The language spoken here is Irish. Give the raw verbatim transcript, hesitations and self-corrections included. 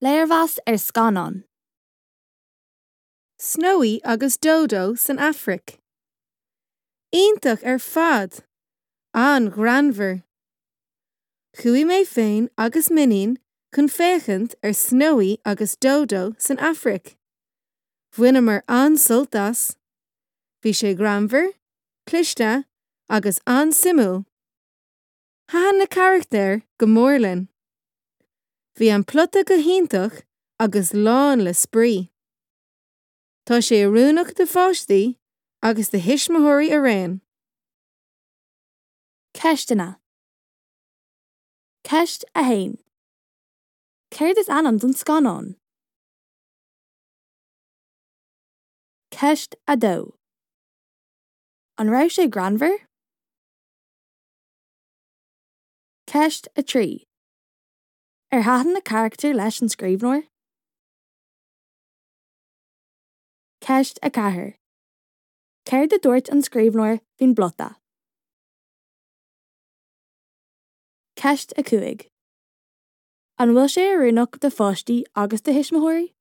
Léirmheas ar scannán. Snowy agus Dodo san Afraic. Iontach ar fad, an-ghreannmhar. Chuaigh mé féin agus m'iníon chun féachaint ar Snowy agus Dodo san Afraic. Bhaineamar an-sult as. Bhí sé greannmhar, cliste agus an-suimiúil. Thaitin na carachtair go mór linn. Bhí an plota go hiontach agus lán le spraoi. Tá sé oiriúnach do pháistí agus do thuismitheoirí araon. Ceisteanna. Ceist a haon. Céard is ainm don scannán? Ceist a dó. An raibh sé greannmhar? Ceist a trí. Ar thaitin na carachtair leis an scríbhneoir? Ceist a ceathair. Céard a dúirt an scríbhneoir faoin bplota? Ceist a cúig. An bhfuil sé oiriúnach do pháistí agus do thuismitheoirí?